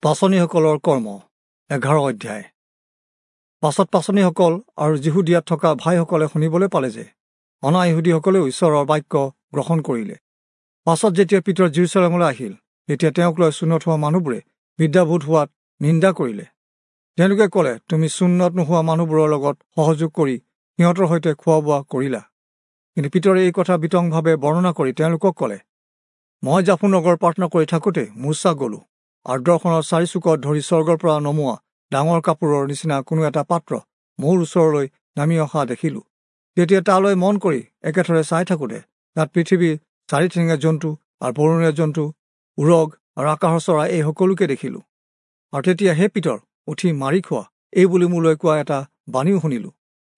পাঁচনিসকলৰ কৰ্ম 11 অধ্যায়। পাছত পাঁচনিসকল আৰু যিহুদীয়াত থকা ভাইসকলে শুনিবলৈ পালে যে অনা-ইহুদীসকলেও ঈশ্বৰৰ বাক্য গ্ৰহণ কৰিলে। পাছত যেতিয়া পিতৰ যিৰূচালেমলৈ আহিল, তেতিয়া তেওঁক লৈ চুন্নৎ হোৱা মানুহবোৰে বিদ্যাবোধ হোৱাত নিন্দা কৰিলে। তেওঁলোকে ক'লে, তুমি চুন্নৎ নোহোৱা মানুহবোৰৰ লগত সহযোগ কৰি সিহঁতৰ সৈতে খোৱা বোৱা কৰিলা। কিন্তু পিতৰে এই কথা বিতংভাৱে বৰ্ণনা কৰি তেওঁলোকক ক'লে, মই জাফু নগৰ প্ৰাৰ্থনা কৰি থাকোঁতে মূৰ্ছা গলোঁ আৰু দৰ্শনৰ চাৰিচুকত ধৰি স্বৰ্গৰ পৰা নমোৱা ডাঙৰ কাপোৰৰ নিচিনা কোনো এটা পাত্ৰ মোৰ ওচৰলৈ নামি অহা দেখিলোঁ। তেতিয়া তালৈ মন কৰি একেথৰে চাই থাকোঁতে তাত পৃথিৱীৰ চাৰিঠেঙীয়া জন্তু আৰু বৰণীয়া জন্তু, উৰগ আৰু আকাশৰ চৰাই এই সকলোকে দেখিলোঁ। আৰু তেতিয়া, হে পিতৰ, উঠি মাৰি খোৱা, এই বুলি মোলৈ কোৱা এটা বাণীও শুনিলোঁ।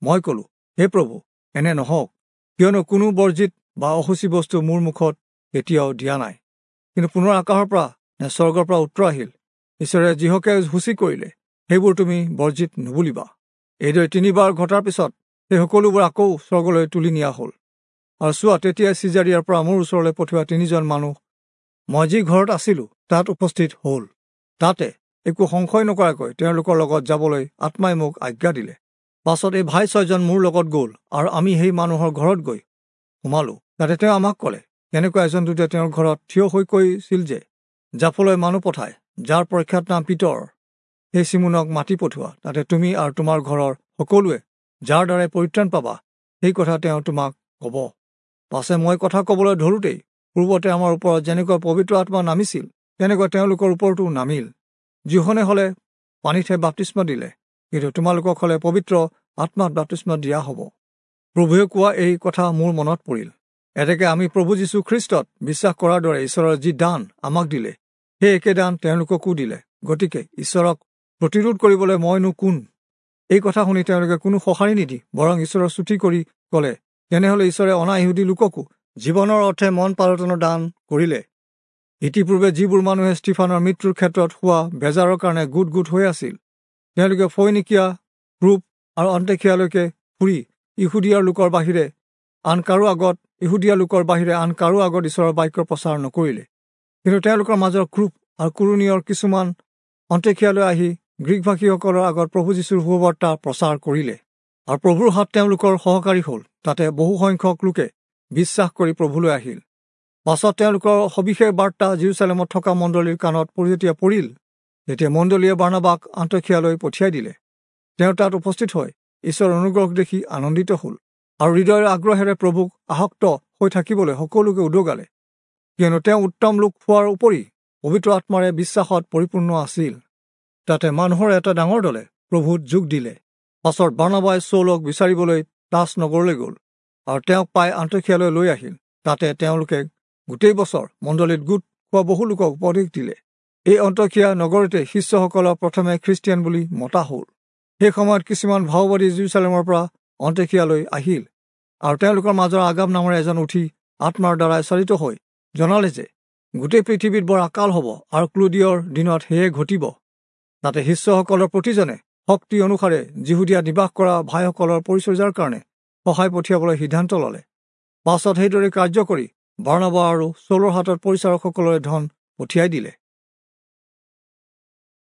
মই ক'লোঁ, হে প্ৰভু, এনে নহওক, কিয়নো কোনো বৰ্জিত বা অশুচি বস্তু মোৰ মুখত কেতিয়াও দিয়া নাই। কিন্তু পুনৰ আকাশৰ পৰা নে স্বৰ্গৰ পৰা উত্তৰ আহিল, ঈশ্বৰে যিহকে সূচী কৰিলে সেইবোৰ তুমি বৰ্জিত নুবুলিবা। এইদৰে তিনিবাৰ ঘটাৰ পিছত সেই সকলোবোৰ আকৌ স্বৰ্গলৈ তুলি নিয়া হ'ল। আৰু চোৱা, তেতিয়া চিজাৰিয়াৰ পৰা মোৰ ওচৰলৈ পঠিওৱা তিনিজন মানুহ মই যি ঘৰত আছিলোঁ তাত উপস্থিত হ'ল। তাতে একো সংশয় নকৰাকৈ তেওঁলোকৰ লগত যাবলৈ আত্মাই মোক আজ্ঞা দিলে। পাছত এই ভাই ছয়জন মোৰ লগত গ'ল আৰু আমি সেই মানুহৰ ঘৰত গৈ সোমালোঁ। তাতে তেওঁ আমাক ক'লে, কেনেকুৱা এজন দূতে তেওঁৰ ঘৰত থিয় হৈ কৈছিল যে জাফলৈ মানুহ পঠায়, যাৰ প্ৰখ্যাত নাম পিতৰ, সেই চিমোনক মাতি পঠোৱা। তাতে তুমি আৰু তোমাৰ ঘৰৰ সকলোৱে যাৰ দ্বাৰাই পৰিত্ৰাণ পাবা সেই কথা তেওঁ তোমাক ক'ব। পাছে মই কথা ক'বলৈ ধৰোঁতেই পূৰ্বতে আমাৰ ওপৰত যেনেকুৱা পবিত্ৰ আত্মা নামিছিল তেনেকুৱা তেওঁলোকৰ ওপৰতো নামিল। যিহনে হ'লে পানীতহে বাপ্তিস্ম দিলে, কিন্তু তোমালোকক হ'লে পবিত্ৰ আত্মাত বাপ্তিস্ম দিয়া হ'ব। প্ৰভুৱে কোৱা এই কথা মোৰ মনত পৰিল। এতেকে আমি প্ৰভু যীশু খ্ৰীষ্টত বিশ্বাস কৰাৰ দৰে ঈশ্বৰৰ যি দান আমাক দিলে সেই একে দান তেওঁলোককো দিলে। গতিকে ঈশ্বৰক প্ৰতিৰোধ কৰিবলৈ মইনো কোন? এই কথা শুনি তেওঁলোকে কোনো সঁহাৰি নিদি বৰং ঈশ্বৰৰ স্তুতি কৰি ক'লে, তেনেহ'লে ঈশ্বৰে অনা-ইহুদী লোককো জীৱনৰ অৰ্থে মন পালটনৰ দান কৰিলে। ইতিপূৰ্বে যিবোৰ মানুহে ষ্টিফানৰ মৃত্যুৰ ক্ষেত্ৰত হোৱা বেজাৰৰ কাৰণে গোট গোট হৈ আছিল, তেওঁলোকে ফৈনিকিয়া, ৰূপ আৰু অন্তেখিয়ালৈকে ফুৰি ইহুদীয়া লোকৰ বাহিৰে আন কাৰো আগত ঈশ্বৰৰ বাক্য প্ৰচাৰ নকৰিলে। কিন্তু তেওঁলোকৰ মাজৰ ক্ৰূপ আৰু কুৰণীয়ৰ কিছুমান অন্তেখিয়ালৈ আহি গ্ৰীকভাষীসকলৰ আগত প্ৰভু যীশুৰ সুবাৰ্তা প্ৰচাৰ কৰিলে। আৰু প্ৰভুৰ হাত তেওঁলোকৰ সহকাৰী হ'ল। তাতে বহুসংখ্যক লোকে বিশ্বাস কৰি প্ৰভুলৈ আহিল। পাছত তেওঁলোকৰ সবিশেষ বাৰ্তা যিৰূচালেমত থকা মণ্ডলীৰ কাণত যেতিয়া পৰিল, তেতিয়া মণ্ডলীয়ে বাৰ্ণাবাক আন্তখিয়ালৈ পঠিয়াই দিলে। তেওঁ তাত উপস্থিত হৈ ঈশ্বৰৰ অনুগ্ৰহ দেখি আনন্দিত হ'ল আৰু হৃদয়ৰ আগ্ৰহেৰে প্ৰভুক আসক্ত হৈ থাকিবলৈ সকলোকে উদগালে, কিয়নো তেওঁ উত্তম লোক হোৱাৰ উপৰি পবিত্ৰ আত্মাৰে বিশ্বাসত পৰিপূৰ্ণ আছিল। তাতে মানুহৰ এটা ডাঙৰ দলে প্ৰভুত যোগ দিলে। পাছত বাৰ্ণাবাই চৌলক বিচাৰিবলৈ তাচ নগৰলৈ গ'ল আৰু তেওঁক পাই আন্তখিয়ালৈ লৈ আহিল। তাতে তেওঁলোকে গোটেই বছৰ মণ্ডলীত গোট খোৱা বহু লোকক উপদেশ দিলে। এই অন্তখিয়া নগৰতে শিষ্যসকলক প্ৰথমে খ্ৰীষ্টিয়ান বুলি মতা হ'ল। সেই সময়ত কিছুমান ভাওবাদী যিৰূচালেমৰ পৰা অন্তখিয়ালৈ আহিল আৰু তেওঁলোকৰ মাজৰ আগাম নামেৰে এজন উঠি আত্মাৰ দ্বাৰাই চালিত হৈ জনালে যে গোটেই পৃথিৱীত বৰ আকাল হ'ব আৰু ক্লুদিয়ৰ দিনত সেয়ে ঘটিব। তাতে শিষ্যসকলৰ প্ৰতিজনে শক্তি অনুসাৰে যিহুদীয়া নিবাস কৰা ভাইসকলৰ পৰিচৰ্যাৰ কাৰণে সহায় পঠিয়াবলৈ সিদ্ধান্ত ল'লে। পাছত সেইদৰে কাৰ্য কৰি বাৰ্ণাবা আৰু চৌলৰ হাতত পৰিচাৰকসকলৰে ধন পঠিয়াই দিলে।